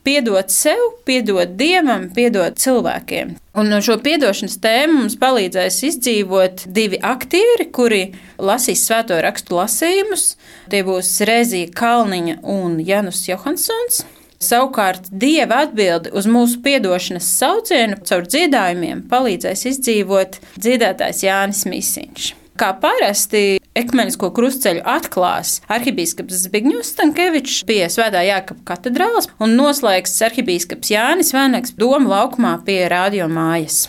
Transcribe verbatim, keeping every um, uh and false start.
piedot sev, piedot Dievam, piedot cilvēkiem. Un no šo piedošanas tēmu mums palīdzēs izdzīvot divi aktieri, kuri lasīs svēto rakstu lasījumus. Tie būs Rēzija Kalniņa un Janus Johansons. Savukārt Dieva atbildi uz mūsu piedošanas saucienu caur dziedājumiem palīdzēs izdzīvot dziedātājs Jānis Mīsiņš. Kā parasti ekumenisko krustceļu atklās arhibīskaps Zbigņevs Stankevičs pie Svētā Jākapa katedrāles un noslēgs arhibīskaps Jānis Vēnaks Doma laukumā pie Radio mājas.